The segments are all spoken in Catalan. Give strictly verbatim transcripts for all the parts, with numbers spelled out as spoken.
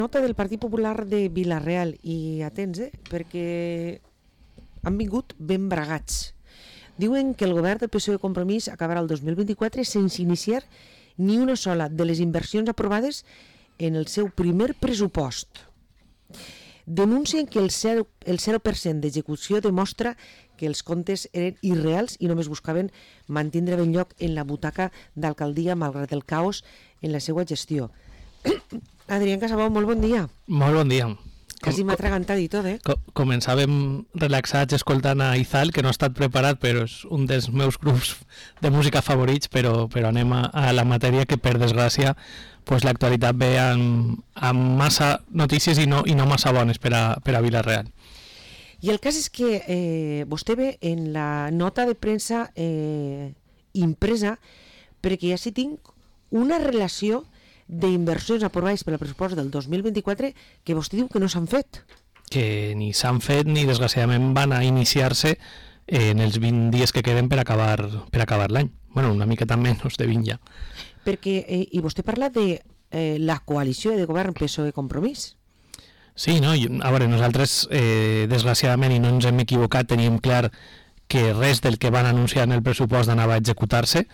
Nota del Partit Popular de Vila-real, i atents, eh, perquè han vingut ben bragats. Diuen que el govern del P S O E Compromís acabarà el dos mil vint-i-quatre sense iniciar ni una sola de les inversions aprovades en el seu primer pressupost. Denuncien que el zero, el zero per cent d'execució demostra que els comptes eren irreals i només buscaven mantindre ben lloc en la butaca d'alcaldia malgrat el caos en la seva gestió. Adrián Casabó, molt bon dia. Molt bon dia. Quasi m'ha atragantat i tot, eh? Co començàvem relaxats escoltant a Izal, que no ha estat preparat, però és un dels meus grups de música favorits, però, però anem a, a la matèria, que per desgràcia pues, l'actualitat ve amb, amb massa notícies i no, i no massa bones per a, per a Vila-real. I el cas és que eh, vostè ve en la nota de premsa eh, impresa, perquè ja sí tinc una relació d'inversions aprovades per al pressupost del dos mil vint-i-quatre que vostè diu que no s'han fet. Que ni s'han fet ni desgraciadament van a iniciar-se en els vint dies que queden per acabar, per acabar l'any. Bueno, una miqueta menys de vint ja. Perquè, eh, i vostè parla de eh, la coalició de govern P S O E Compromís. Sí, no? A veure, nosaltres, eh, desgraciadament, i no ens hem equivocat, teníem clar que res del que van anunciar en el pressupost anava a executar-se,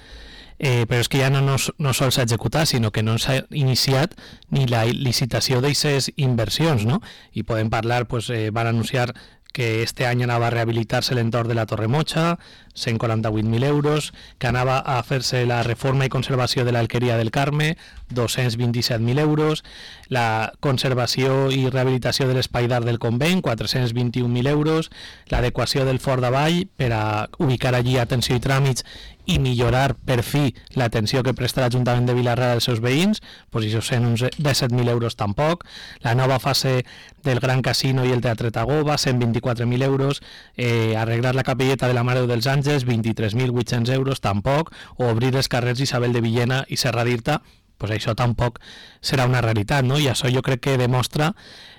Eh, però és que ja no, no, no sols s'ha executat, sinó que no s'ha iniciat ni la licitació d'aquestes inversions, no? I podem parlar, pues, eh, van anunciar que este any anava a rehabilitar-se l'entorn de la Torre Mocha, cent quaranta-vuit mil euros, que anava a fer-se la reforma i conservació de l'Alqueria del Carme, dos-cents vint-i-set mil euros, la conservació i rehabilitació de l'Espai d'Art del Convent, quatre-cents vint-i-un mil euros, l'adequació del Fort d'Avall per a ubicar allí atenció i tràmits i millorar per fi l'atenció que presta l'Ajuntament de Vila-real als seus veïns, pues això cent disset mil euros tampoc, la nova fase del Gran Casino i el Teatre Tagoba, cent vint-i-quatre mil euros, eh, arreglar la capelleta de la Mare dels Àngels, vint-i-tres mil vuit-cents euros tampoc, o obrir els carrers Isabel de Villena i Serra d'Irta, pues això tampoc serà una realitat, no? I això jo crec que demostra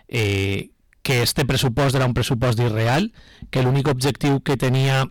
eh, que este pressupost era un pressupost irreal, que l'únic objectiu que tenia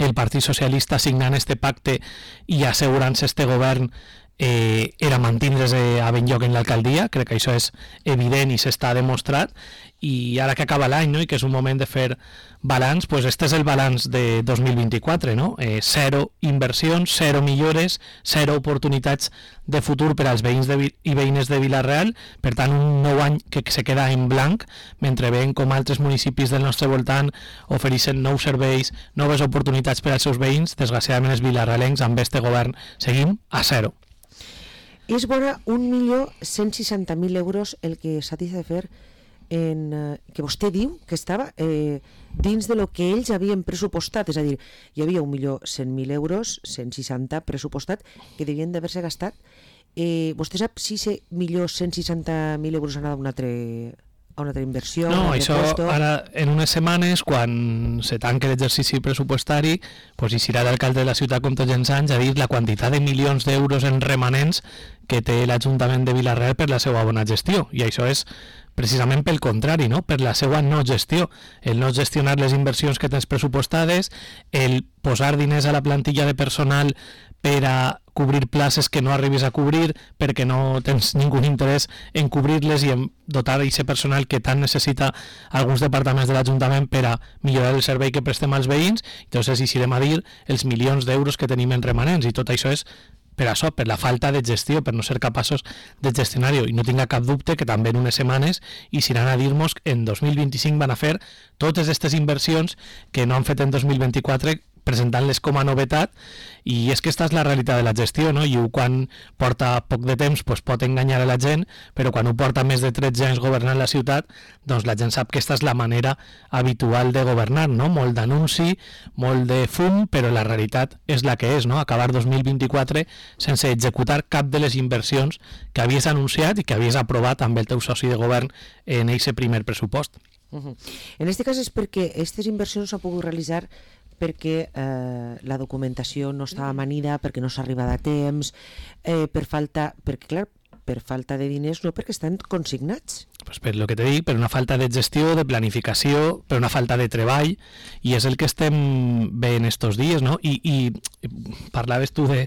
el Partit Socialista signant este pacte i assegurant-se este govern eh, era mantindre's a ben lloc en l'alcaldia. Crec que això és evident i s'està demostrat, i ara que acaba l'any, no?, i que és un moment de fer balanç, pues este és el balanç de dos mil vint-i-quatre, no? Eh, zero inversions, zero millores, zero oportunitats de futur per als veïns de, i veïnes de Vila-real, per tant un nou any que se queda en blanc, mentre veiem com altres municipis del nostre voltant ofereixen nous serveis, noves oportunitats per als seus veïns. Desgraciadament els vilarrealencs amb este govern seguim a zero. És vora un milió cent seixanta mil euros el que s'ha de fer en, eh, que vostè diu que estava eh, dins de lo que ells havien pressupostat, és a dir, hi havia un milió cent mil euros, cent seixanta pressupostat, que devien d'haver-se gastat. Eh, vostè sap si aquest milió cent seixanta mil euros han anat a una altra, a una altra inversió? No, un això puesto? Ara, en unes setmanes, quan se tanque l'exercici pressupostari, pues, hi serà l'alcalde de la ciutat com tots els anys a dir la quantitat de milions d'euros en remanents que té l'Ajuntament de Vila-real per la seva bona gestió, i això és precisament pel contrari, no? Per la seva no gestió, el no gestionar les inversions que tens pressupostades, el posar diners a la plantilla de personal per a cobrir places que no arribis a cobrir perquè no tens ningú interès en cobrir-les i en dotar aquest personal que tant necessita alguns departaments de l'Ajuntament per a millorar el servei que prestem als veïns. Entonces eixirem a dir els milions d'euros que tenim en remanents, i tot això és per això, per la falta de gestió, per no ser capaços de gestionar-ho. I no tinga cap dubte que també en unes setmanes iran a dir-nos que en dos mil vint-i-cinc van a fer totes aquestes inversions que no han fet en dos mil vint-i-quatre, presentant-les com a novetat. I és que aquesta és la realitat de la gestió, no? I quan porta poc de temps pues pot enganyar a la gent, però quan ho porta més de tretze anys governant la ciutat, doncs la gent sap que aquesta és la manera habitual de governar, no? Molt d'anunci, molt de fum, però la realitat és la que és, no? Acabar dos mil vint-i-quatre sense executar cap de les inversions que havies anunciat i que havies aprovat amb el teu soci de govern en aquest primer pressupost. Uh-huh. En aquest cas és perquè aquestes inversions s'han pogut realitzar perquè eh, la documentació no estava amanida, perquè no s'ha arribat a temps, eh, per falta, perquè clar, per falta de diners, no perquè estan consignats. pues per lo que te dic, per una falta de gestió, de planificació, per una falta de treball, i és el que estem veient estos dies, no? I, i parlaves tu de,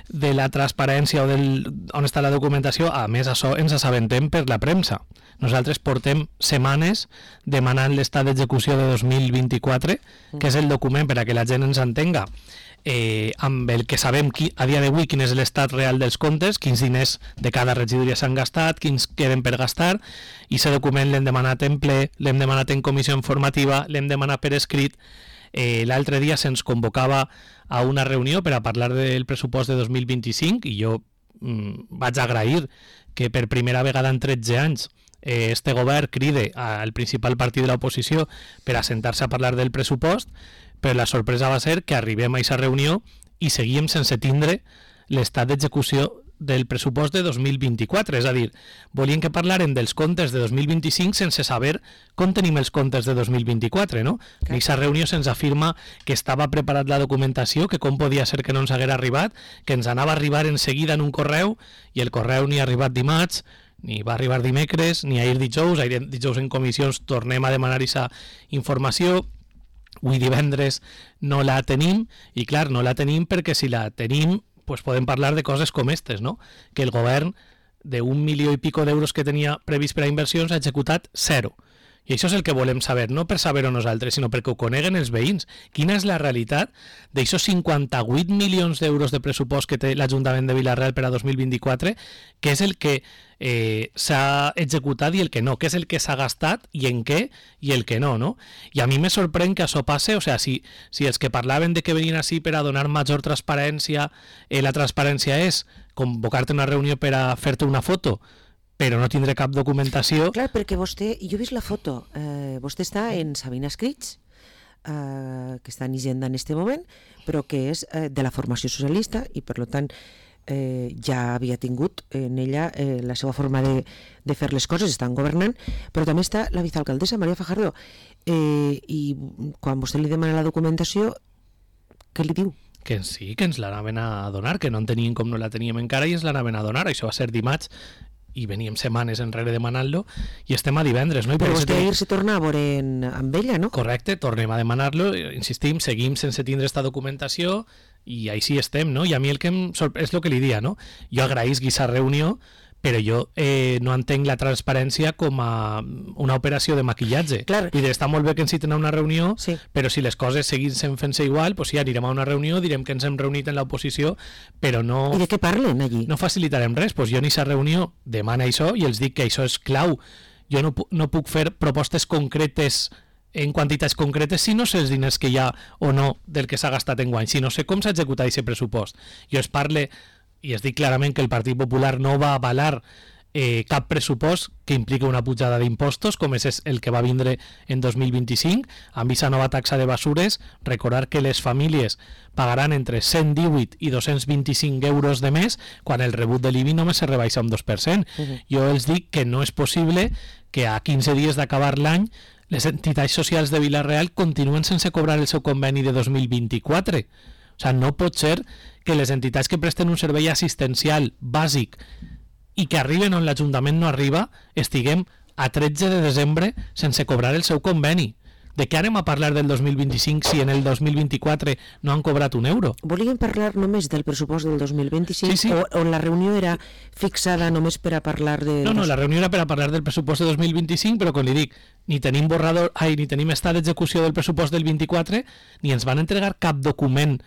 de la transparència o del, on està la documentació. A més, això ens assabentem per la premsa. Nosaltres portem setmanes demanant l'estat d'execució de dos mil vint-i-quatre, que és el document, per a que la gent ens entenga, eh, amb el que sabem qui, a dia d'avui quin és l'estat real dels comptes, quins diners de cada regidoria s'han gastat, quins queden per gastar, i aquest document l'hem demanat en ple, l'hem demanat en comissió informativa, l'hem demanat per escrit. Eh, l'altre dia se'ns convocava a una reunió per a parlar del pressupost de dos mil vint-i-cinc, i jo mm, vaig agrair que per primera vegada en tretze anys eh, este govern cride al principal partit de l'oposició per a sentar-se a parlar del pressupost, però la sorpresa va ser que arribem a aquesta reunió i seguíem sense tindre l'estat d'execució del pressupost de dos mil vint-i-quatre, és a dir, volien que parlaren dels comptes de dos mil vint-i-cinc sense saber com tenim els comptes de dos mil vint-i-quatre, no? En aquesta reunió se'ns afirma que estava preparat la documentació, que com podia ser que no ens haguera arribat, que ens anava a arribar en seguida en un correu, i el correu ni ha arribat dimarts, ni va arribar dimecres, ni ahir dijous, ahir dijous en comissions tornem a demanar aquesta informació. Avui divendres no la tenim, i clar, no la tenim perquè si la tenim pues podem parlar de coses com aquestes, no? Que el govern d'un milió i pico d'euros que tenia previst per a inversions ha executat zero. I això és el que volem saber, no per saber-ho nosaltres, sinó perquè ho coneguen els veïns. Quina és la realitat d'aixòs cinquanta-vuit milions d'euros de pressupost que té l'Ajuntament de Vila-real per a dos mil vint-i-quatre, que és el que eh, s'ha executat i el que no, que és el que s'ha gastat i en què i el que no, no? I a mi me sorprèn que això passe, o sea, si, si els que parlaven de que venien així per a donar major transparència, eh, la transparència és convocar-te una reunió per a fer-te una foto, però no tindré cap documentació. Clar, perquè vostè, jo he vist la foto, eh, vostè està en Sabina Escrits, eh, que està en Hisenda en este moment, però que és eh, de la formació socialista i per tant eh, ja havia tingut en ella eh, la seva forma de, de fer les coses, estan governant, però també està la vicealcaldessa Maria Fajardo, eh, i quan vostè li demana la documentació, què li diu? Que sí, que ens l'anaven a donar, que no en teníem com no la teníem encara i ens l'anaven a donar. Això va ser dimarts i veníem setmanes enrere demanant-lo i estem a divendres, no? I però vostè ahir se torna a veure en, amb ella, no? Correcte, tornem a demanar-lo, insistim, seguim sense tindre esta documentació i així estem, no? I a mi el que em sorprèn és el que li dia, no? Jo agraïsc aquesta reunió, però jo eh, no entenc la transparència com a una operació de maquillatge. Clar. I està molt bé que ens citen a una reunió, sí, però si les coses seguissin fent-se igual, doncs sí, anirem a una reunió, direm que ens hem reunit en l'oposició, però no... I de què parlen allí? No facilitarem res, doncs jo en aquesta reunió demana això i els dic que això és clau. Jo no, no puc fer propostes concretes en quantitats concretes si no sé els diners que hi ha o no del que s'ha gastat en guany, si no sé com s'ha executat aquest pressupost. Jo es parle i es dic clarament que el Partit Popular no va avalar eh, cap pressupost que implica una pujada d'impostos, com és el que va vindre en dos mil vint-i-cinc, amb aquesta nova taxa de basures. Recordar que les famílies pagaran entre cent divuit i dos-cents vint-i-cinc euros de més, quan el rebut de l'I B I només se rebaixa un dos per cent. Uh-huh. Jo els dic que no és possible que a quinze dies d'acabar l'any les entitats socials de Vila-real continuen sense cobrar el seu conveni de dos mil vint-i-quatre. O sigui, no pot ser que les entitats que presten un servei assistencial bàsic i que arriben on l'Ajuntament no arriba, estiguem a tretze de desembre sense cobrar el seu conveni. De què anem a parlar del dos mil vint-i-cinc si en el dos mil vint-i-quatre no han cobrat un euro? Volíem parlar només del pressupost del dos mil vint-i-cinc, sí, sí. O, o la reunió era fixada només per a parlar de... No, no, la reunió era per a parlar del pressupost de dos mil vint-i-cinc, però com li dic, ni tenim borrador, ai, ni tenim estat d'execució del pressupost del vint-i-quatre, ni ens van entregar cap document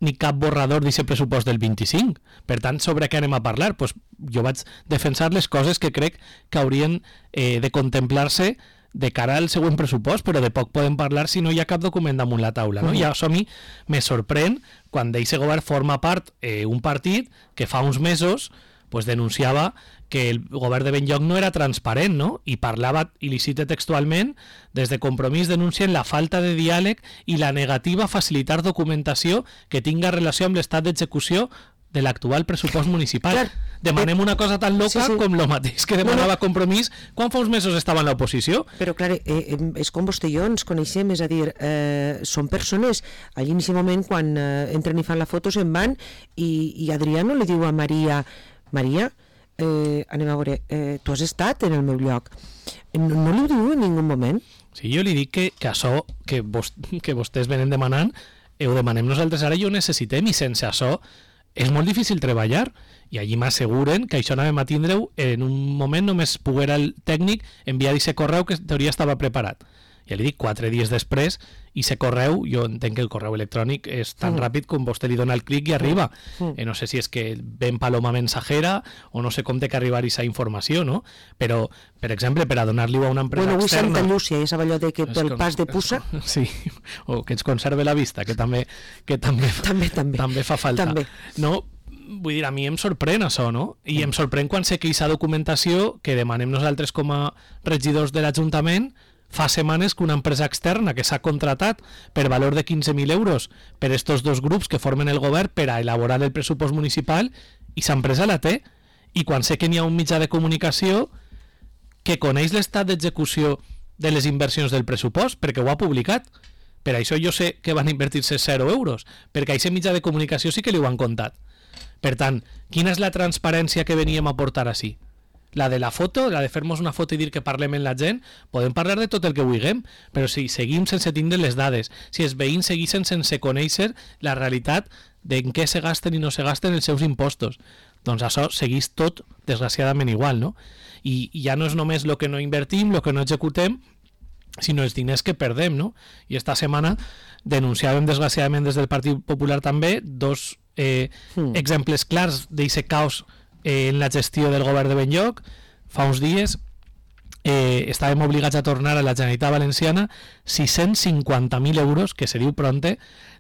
ni cap borrador d'aquest pressupost del vint-i-cinc. Per tant, sobre què anem a parlar? Pues jo vaig defensar les coses que crec que haurien eh, de contemplar-se de cara al següent pressupost, però de poc podem parlar si no hi ha cap document damunt la taula, no? Uh-huh. I això a mi me sorprèn quan d'aquest govern forma part eh, un partit que fa uns mesos pues, denunciava que el govern de Benlloc no era transparent, no? I parlava, i li cite textualment, des de Compromís denuncien la falta de diàleg i la negativa a facilitar documentació que tinga relació amb l'estat d'execució de l'actual pressupost municipal. Clar. Demanem una cosa tan loca sí, sí. com lo mateix que demanava Compromís quan fa uns mesos estava en l'oposició. Però clar, eh, és com vostè i jo ens coneixem, és a dir, eh, són persones, allí en aquest moment quan eh, entren i fan la foto se'n van i, i Adrià no li diu a Maria, Maria, eh, anem a veure, eh, tu has estat en el meu lloc, no, no li ho diu en ningú moment? Sí, jo li dic que, que això que, vos, que vostès venen demanant, eh, ho demanem nosaltres ara i ho necessitem, i sense això és molt difícil treballar, i allí m'asseguren que això anàvem a tindre-ho en un moment només poguera el tècnic enviar aquest correu que en teoria estava preparat. Ja li dic, quatre dies després, i aquest correu, jo entenc que el correu electrònic és tan mm. ràpid com vostè li dona el clic i arriba. Mm. Eh, no sé si és que ven paloma mensajera o no sé com té que arribar aquesta informació, no? Però, per exemple, per a donar-li a una empresa bueno, externa... Bueno, avui Santa Llúcia, ja sap allò de que pel pas de puça... Sí, o que ens conserve la vista, que també, que també, també, també. també fa falta. També. No, vull dir, a mi em sorprèn això, no? I mm. em sorprèn quan sé que aquesta documentació que demanem nosaltres com a regidors de l'Ajuntament fa setmanes que una empresa externa que s'ha contratat per valor de quinze mil euros per estos dos grups que formen el govern per a elaborar el pressupost municipal, i aquesta empresa la té. I quan sé que n'hi ha un mitjà de comunicació que coneix l'estat d'execució de les inversions del pressupost, perquè ho ha publicat, per això jo sé que van invertir-se zero euros, perquè a aquest mitjà de comunicació sí que li ho han contat. Per tant, quina és la transparència que veníem a portar així? La de la foto, la de fer-nos una foto i dir que parlem amb la gent, podem parlar de tot el que vulguem, però si seguim sense tindre les dades, si els veïns seguissin sense conèixer la realitat d'en què se gasten i no se gasten els seus impostos, doncs això seguís tot desgraciadament igual, no? I, i ja no és només el que no invertim, el que no executem, sinó els diners que perdem, no? I esta setmana denunciàvem desgraciadament des del Partit Popular també dos eh, mm. exemples clars d'aquest caos en la gestió del govern de Benlloc. Fa uns dies eh, estàvem obligats a tornar a la Generalitat Valenciana sis-cents cinquanta mil euros, que se diu pronte,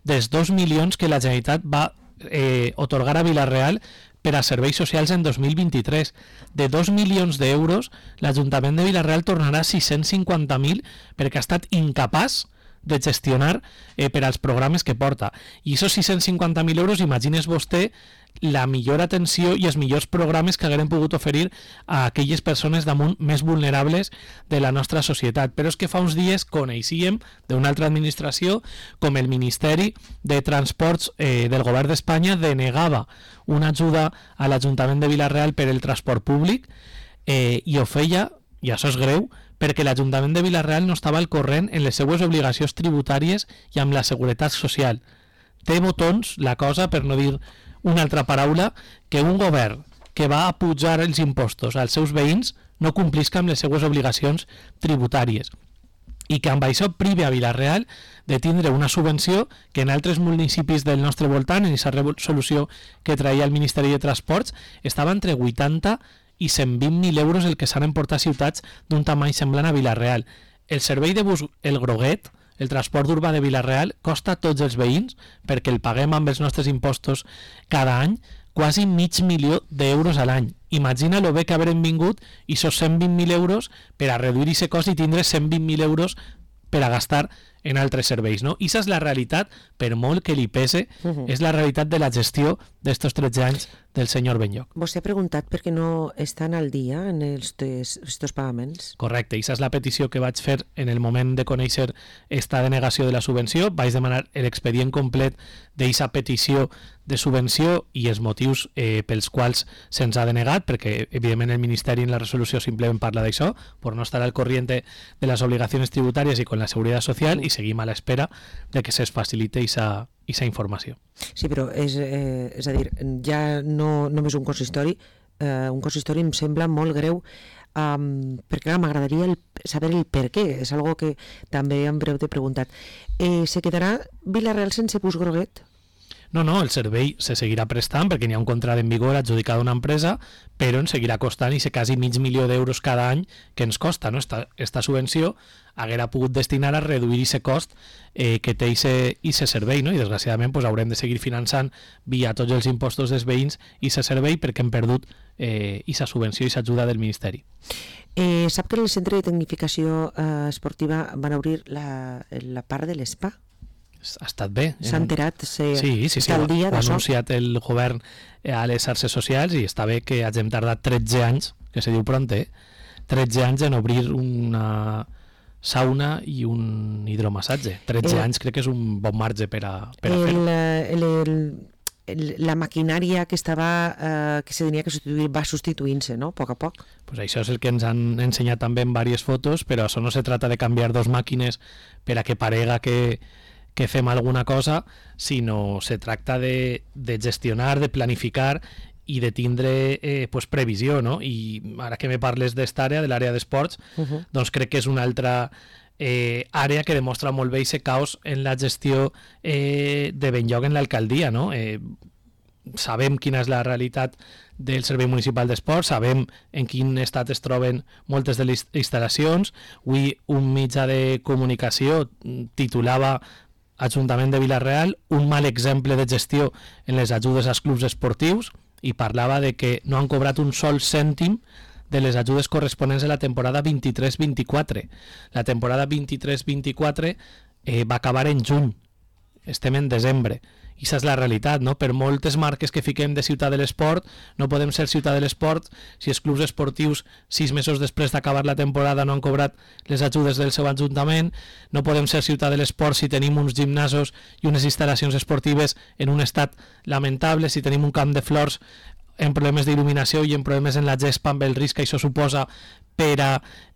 dels dos milions que la Generalitat va eh, otorgar a Vila-real per a serveis socials en dos mil vint-i-tres. De dos milions d'euros, l'Ajuntament de Vila-real tornarà sis-cents cinquanta mil perquè ha estat incapaç de gestionar eh, per als programes que porta. I aquests sis-cents cinquanta mil euros, imagines vostè la millor atenció i els millors programes que haguem pogut oferir a aquelles persones damunt més vulnerables de la nostra societat. Però és que fa uns dies coneixíem d'una altra administració com el Ministeri de Transports eh, del Govern d'Espanya denegava una ajuda a l'Ajuntament de Vila-real per el transport públic eh, i ho feia, i això és greu, perquè l'Ajuntament de Vila-real no estava al corrent en les seues obligacions tributàries i amb la seguretat social. Té botons la cosa, per no dir una altra paraula, que un govern que va a pujar els impostos als seus veïns no complisca amb les seues obligacions tributàries, i que amb això prive a Vila-real de tindre una subvenció que en altres municipis del nostre voltant, en aquesta resolució que traia el Ministeri de Transports, estava entre vuitanta i cent vint mil euros el que s'han emportat ciutats d'un tamany semblant a Vila-real. El servei de bus El Groguet, el transport urbà de Vila-real, costa a tots els veïns, perquè el paguem amb els nostres impostos cada any, quasi mig milió d'euros a l'any. Imagina lo bé que haurem vingut i esos cent vint mil euros per a reduir aquest cost i tindre cent vint mil euros per a gastar en altres serveis, no? I aquesta és la realitat, per molt que li pese, uh-huh. és la realitat de la gestió d'estos tretze anys del senyor Benlloc. Vostè ha preguntat per què no estan al dia en estos pagaments? Correcte, i aquesta és la petició que vaig fer en el moment de conèixer esta denegació de la subvenció. Vaig demanar l'expedient complet d'aquesta petició de subvenció i els motius eh, pels quals se'ns ha denegat, perquè evidentment el Ministeri en la resolució simplement parla d'això, per no estar al corriente de les obligacions tributàries i con la Seguretat Social, i seguim a l'espera de que se'ns facilite aquesta informació. Sí, però és, eh, és a dir, ja no només un consistori, eh, un consistori em sembla molt greu, um, perquè clar, m'agradaria el, saber el per què, és algo que també en breu t'he preguntat. Eh, se quedarà Vila-real sense bus Groguet? No, no, el servei se seguirà prestant perquè n'hi ha un contracte en vigor adjudicat a una empresa, però ens seguirà costant i se quasi mig milió d'euros cada any que ens costa, no? Esta, esta subvenció haguera pogut destinar a reduir aquest cost eh, que té aquest servei, no? I desgraciadament pues, haurem de seguir finançant via tots els impostos dels veïns aquest servei perquè hem perdut aquesta eh, subvenció i aquesta ajuda del Ministeri. Eh, sap que en el Centre de Tecnificació eh, Esportiva van obrir la, la part de l'Spa? Ha estat bé. S'ha enterat, se, sí, sí, sí, està al dia ho ha anunciat el govern a les xarxes socials i està bé que hagin tardat tretze anys, que se diu pronte, tretze anys en obrir una sauna i un hidromassatge. tretze eh, anys crec que és un bon marge per a, per a el, fer-ho. El, el, la maquinària que estava eh, que se tenia que substituir va substituint-se, no? A poc a poc. Pues això és el que ens han ensenyat també en diverses fotos, però això no se trata de canviar dos màquines per a que parega que, que fem alguna cosa, sinó se tracta de, de gestionar, de planificar i de tindre eh, pues, previsió, no? I ara que me parles d'esta àrea, de l'àrea d'esports, uh-huh. doncs crec que és una altra eh, àrea que demostra molt bé aquest caos en la gestió eh, de Benlloc en l'alcaldia, no? Eh, sabem quina és la realitat del Servei Municipal d'Esports, sabem en quin estat es troben moltes de les instal·lacions. Avui un mitjà de comunicació titulava Ajuntament de Vila-real, un mal exemple de gestió en les ajudes als clubs esportius, i parlava de que no han cobrat un sol cèntim de les ajudes corresponents a la temporada vint-i-tres vint-i-quatre. La temporada vint-i-tres vint-i-quatre eh, va acabar en juny, estem en desembre. I aquesta és la realitat, no? Per moltes marques que fiquem de ciutat de l'esport, no podem ser ciutat de l'esport si els clubs esportius sis mesos després d'acabar la temporada no han cobrat les ajudes del seu ajuntament, no podem ser ciutat de l'esport si tenim uns gimnasos i unes instal·lacions esportives en un estat lamentable, si tenim un camp de flors en problemes d'il·luminació i en problemes en la gespa amb el risc que això suposa per a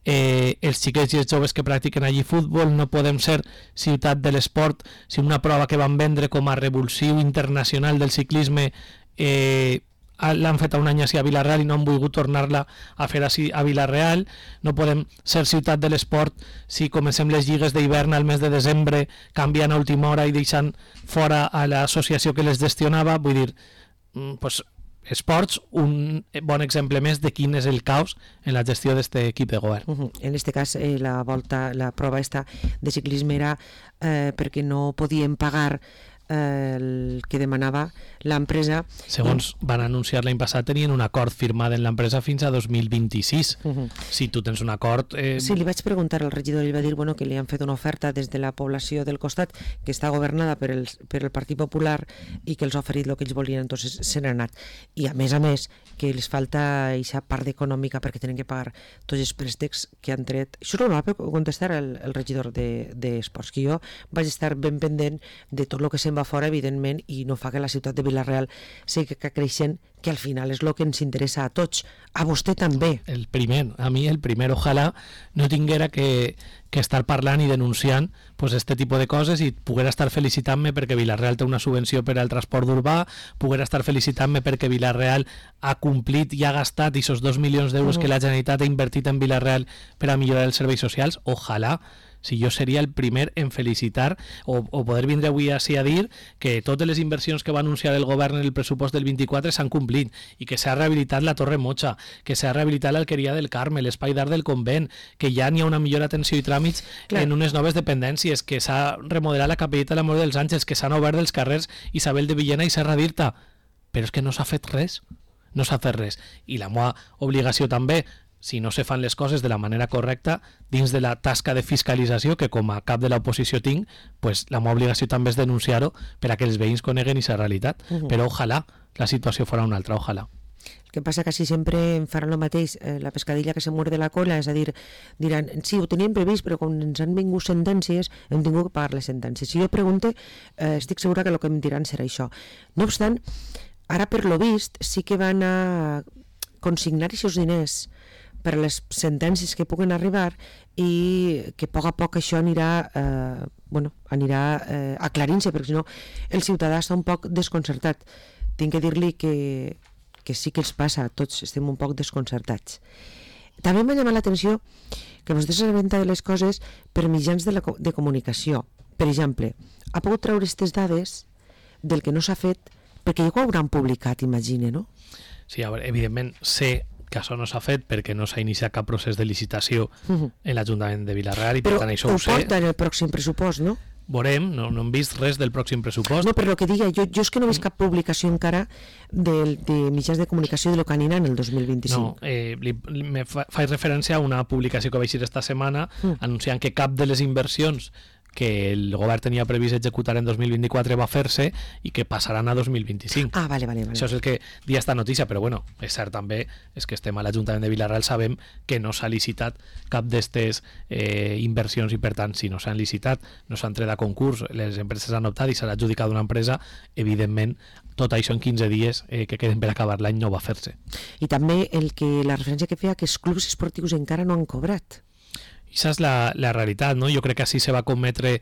eh, els xiquets i els joves que practiquen allí futbol. No podem ser ciutat de l'esport si una prova que van vendre com a revulsiu internacional del ciclisme eh, l'han fet un any així a Vila-real i no han volgut tornar-la a fer així a Vila-real. No podem ser ciutat de l'esport si comencem les lligues d'hivern al mes de desembre canviant a última hora i deixant fora a l'associació que les gestionava. Vull dir, pues, esports, un bon exemple més de quin és el caos en la gestió d'aquest equip de govern. Uh-huh. En aquest cas, eh, la volta, la prova esta de ciclisme era eh, perquè no podien pagar eh, el que demanava l'empresa. Segons i... van anunciar l'any passat, tenien un acord firmat en l'empresa fins a dos mil vint-i-sis. Uh-huh. Si tu tens un acord... Eh... Sí, li vaig preguntar al regidor i ell va dir bueno, que li han fet una oferta des de la població del costat que està governada per el, per el Partit Popular i que els ha oferit el que ells volien, entonces se n'han anat. I a més a més que els falta aquesta part econòmica perquè tenen que pagar tots els préstecs que han tret. Això no va contestar el, el regidor d'Esports, de, que jo vaig estar ben pendent de tot el que se'n va fora, evidentment, i no fa que la ciutat de Vila-real sigui creixent, que al final és el que ens interessa a tots, a vostè també. El primer, a mi el primer, ojalà no tinguera que, que estar parlant i denunciant pues, este tipus de coses i poguera estar felicitant-me perquè Vila-real té una subvenció per al transport urbà, poguera estar felicitant-me perquè Vila-real ha complit i ha gastat aquests dos milions d'euros uh-huh. que la Generalitat ha invertit en Vila-real per a millorar els serveis socials. Ojalà, si jo seria el primer en felicitar o, o poder vindre avui així a dir que totes les inversions que va anunciar el govern en el pressupost del vint-i-quatre s'han complit i que s'ha rehabilitat la Torre Mocha, que s'ha rehabilitat l'Alqueria del Carme, l'Espai d'Art del Convent, que ja n'hi ha una millor atenció i tràmits Clar. en unes noves dependències, que s'ha remodelat la capelleta de la Mort dels Àngels, que s'han obert els carrers Isabel de Villena i Serra d'Irta. Però és que no s'ha fet res, no s'ha fet res. I la meva obligació també, si no se fan les coses de la manera correcta, dins de la tasca de fiscalització que com a cap de l'oposició tinc, pues la meva obligació també és denunciar-ho per a que els veïns coneguen aquesta realitat. Uh-huh. Però ojalà la situació fora una altra, ojalà. El que passa que si sempre em faran el mateix, eh, la pescadilla que se muerde la cola, és a dir, diran, sí, ho teníem previst, però quan ens han vingut sentències, hem tingut que pagar les sentències. Si jo pregunte, eh, estic segura que el que em diran serà això. No obstant, ara per lo vist, sí que van a consignar aquests diners per a les sentències que puguen arribar i que a poc a poc això anirà, eh, bueno, anirà eh, aclarint-se, perquè si no el ciutadà està un poc desconcertat. Tinc que dir-li que, que sí que els passa, tots estem un poc desconcertats. També m'ha llamat l'atenció que vostè s'assabenta de les coses per mitjans de, la, de comunicació. Per exemple, ha pogut treure aquestes dades del que no s'ha fet perquè ja ho hauran publicat, imagine, no? Sí, a veure, evidentment sé que això no s'ha fet perquè no s'ha iniciat cap procés de licitació uh-huh. en l'Ajuntament de Vila-real i per Però tant això ho ho sé. Però ho porta en el pròxim pressupost, no? Veurem, no, no hem vist res del pròxim pressupost. No, però el que diga, jo, jo és que no he vist cap publicació encara de, de mitjans de comunicació de lo que anirà en el dos mil vint-i-cinc. No, eh, li, me fa, faig referència a una publicació que vaig dir esta setmana mm. anunciant que cap de les inversions que el govern tenia previst executar en dos mil vint-i-quatre va fer-se i que passaran a dos mil vint-i-cinc. Ah, vale, vale, vale. Això és el que dia esta notícia, però bueno, és cert també, és que estem a l'Ajuntament de Vila-real, sabem que no s'ha licitat cap d'estes eh, inversions i per tant, si no s'han licitat, no s'han tret a concurs, les empreses han optat i s'ha adjudicat una empresa, evidentment tot això en quinze dies eh, que queden per acabar l'any no va fer-se. I també el que la referència que feia que els clubs esportius encara no han cobrat. Aquesta és la, la realitat, no? Jo crec que així se va cometre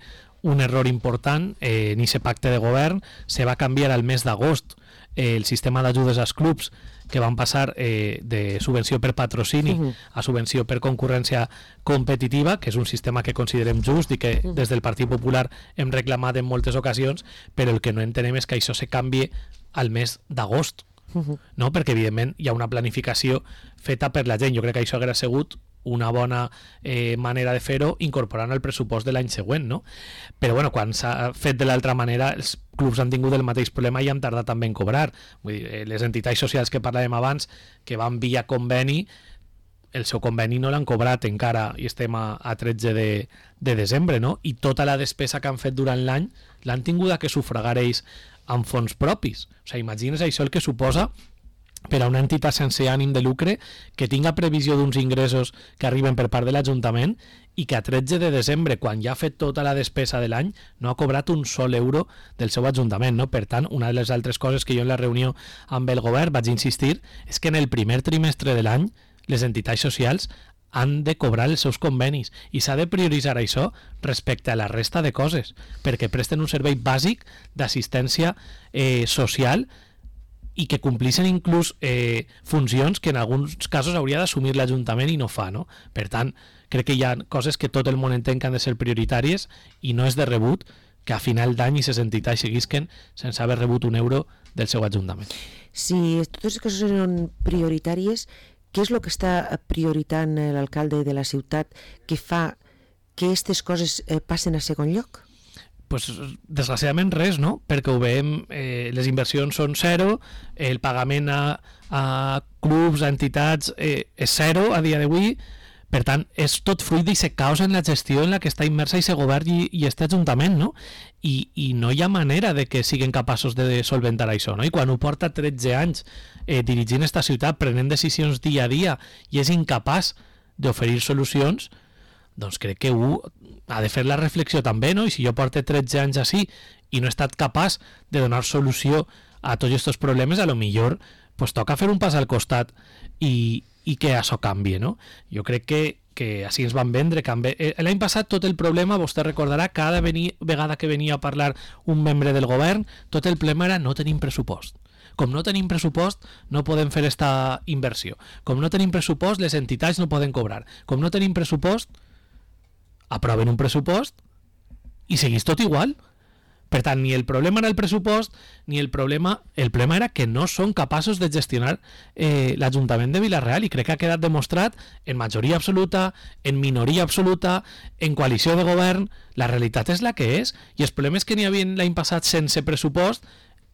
un error important eh, en aquest pacte de govern. Se va canviar al mes d'agost eh, el sistema d'ajudes als clubs, que van passar eh, de subvenció per patrocini uh -huh. a subvenció per concurrència competitiva, que és un sistema que considerem just i que uh -huh. des del Partit Popular hem reclamat en moltes ocasions, però el que no entenem és que això se canvi al mes d'agost, uh -huh. no? Perquè evidentment hi ha una planificació feta per la gent. Jo crec que això hauria sigut una bona eh, manera de fer-ho incorporant el pressupost de l'any següent, no? Però bueno, quan s'ha fet de l'altra manera, els clubs han tingut el mateix problema i han tardat també en cobrar. Vull dir, les entitats socials que parlàvem abans, que van via conveni, el seu conveni no l'han cobrat encara i estem a, a tretze de desembre, no? I tota la despesa que han fet durant l'any l'han tingut que sufragar ells amb fons propis. O sigui, imagines això el que suposa per a una entitat sense ànim de lucre que tinga previsió d'uns ingressos que arriben per part de l'Ajuntament i que a tretze de desembre, quan ja ha fet tota la despesa de l'any, no ha cobrat un sol euro del seu Ajuntament, no? Per tant, una de les altres coses que jo en la reunió amb el govern vaig insistir és que en el primer trimestre de l'any les entitats socials han de cobrar els seus convenis i s'ha de prioritzar això respecte a la resta de coses, perquè presten un servei bàsic d'assistència eh, social i que complissin inclús eh, funcions que en alguns casos hauria d'assumir l'Ajuntament i no fa, no? Per tant, crec que hi ha coses que tot el món entén que han de ser prioritàries i no és de rebut que a final d'any aquestes entitats seguisquen sense haver rebut un euro del seu Ajuntament. Si totes les coses són prioritàries, què és el que està prioritant l'alcalde de la ciutat que fa que aquestes coses eh, passen a segon lloc? Pues, desgraciadament res, no? Perquè ho veiem, eh, les inversions són zero, el pagament a, a clubs, a entitats eh, és zero a dia d'avui, per tant és tot fruit d'aquest caos en la gestió en la que està immersa aquest govern i, i aquest Ajuntament, no? I, i no hi ha manera de que siguin capaços de solventar això, no? I quan ho porta tretze anys eh, dirigint esta ciutat, prenent decisions dia a dia i és incapaç d'oferir solucions, doncs crec que ho ha de fer la reflexió també, no? I si jo porto tretze anys així i no he estat capaç de donar solució a tots aquests problemes, a lo millor pues, toca fer un pas al costat i, i que això canvi, no? Jo crec que, que així ens van vendre. L'any passat tot el problema, vostè recordarà, cada veni, vegada que venia a parlar un membre del govern, tot el problema era no tenim pressupost. Com no tenim pressupost, no podem fer esta inversió. Com no tenim pressupost, les entitats no poden cobrar. Com no tenim pressupost, aproven un pressupost i seguís tot igual. Per tant, ni el problema era el pressupost, ni el problema... El problema era que no són capaços de gestionar eh, l'Ajuntament de Vila-real i crec que ha quedat demostrat en majoria absoluta, en minoria absoluta, en coalició de govern. La realitat és la que és i els problemes que n'hi havia l'any passat sense pressupost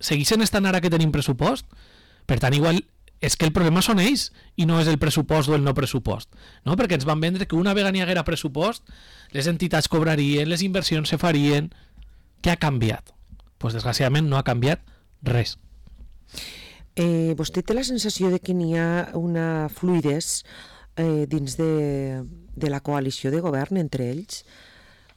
segueixen estant ara que tenim pressupost. Per tant, igual és que el problema són ells i no és el pressupost o el no pressupost, no? Perquè ens van vendre que una vegada n'hi haguera pressupost les entitats cobrarien, les inversions se farien. Què ha canviat? Pues desgraciadament no ha canviat res. Eh, vostè té la sensació de que n'hi ha una fluidesa eh, dins de, de la coalició de govern entre ells?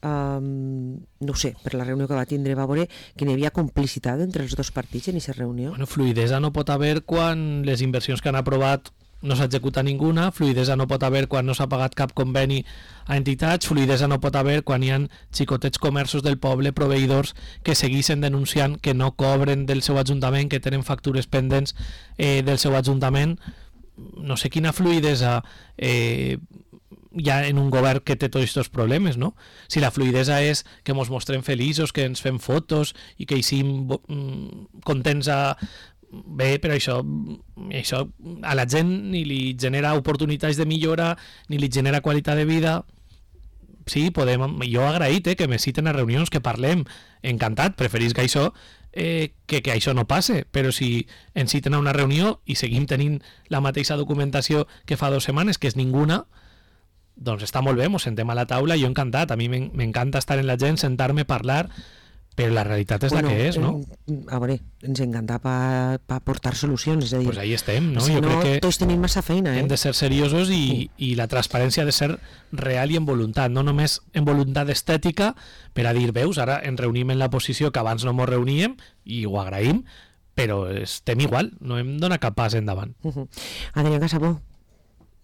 Um, no ho sé, per la reunió que va tindre va veure que n'hi havia complicitat entre els dos partits en aquesta reunió. Bueno, fluidesa no pot haver quan les inversions que han aprovat no s'ha executat ninguna, fluidesa no pot haver quan no s'ha pagat cap conveni a entitats, fluidesa no pot haver quan hi ha xicotets comerços del poble, proveïdors que segueixen denunciant que no cobren del seu ajuntament, que tenen factures pendents eh, del seu ajuntament. No sé quina fluidesa eh, hi ha en un govern que té tots aquests problemes, no? Si la fluidesa és que ens mostrem feliços, que ens fem fotos i que hi siguin contents a... Bé, però això, això a la gent ni li genera oportunitats de millora, ni li genera qualitat de vida. Sí, podem, jo he agraït eh, que me citen a reunions, que parlem, encantat, preferís que això, eh, que, que això no passe, però si ens citen a una reunió i seguim tenint la mateixa documentació que fa dues setmanes, que és ninguna, doncs està molt bé, mos sentem a la taula, jo encantat, a mi m'encanta estar en la gent, sentar-me, parlar, però la realitat és bueno, la que és, no? A veure, ens encanta per pa portar solucions, és a dir... Pues ahí estem, no? Si jo no, crec que tots tenim massa feina, eh? Hem de ser seriosos i, sí. i la transparència ha de ser real i en voluntat, no només en voluntat estètica, per a dir, veus, ara ens reunim en la posició que abans no ens reuníem, i ho agraïm, però estem igual, no hem donat cap pas endavant. Uh -huh. Adrià Casabó,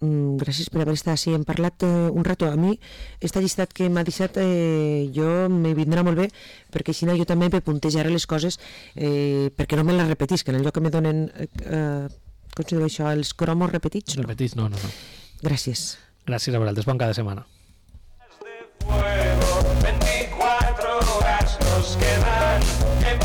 gràcies per haver estat així. Hem parlat eh, un rato. A mi, esta llistat que m'ha deixat, eh, jo me vindrà molt bé, perquè així jo també me puntejaré les coses, eh, perquè no me les repetisc, en el lloc que me donen, eh, com se diu això, els cromos repetits? No? Repetits, no, no, no. Gràcies. Gràcies a vosaltres, bon cada setmana.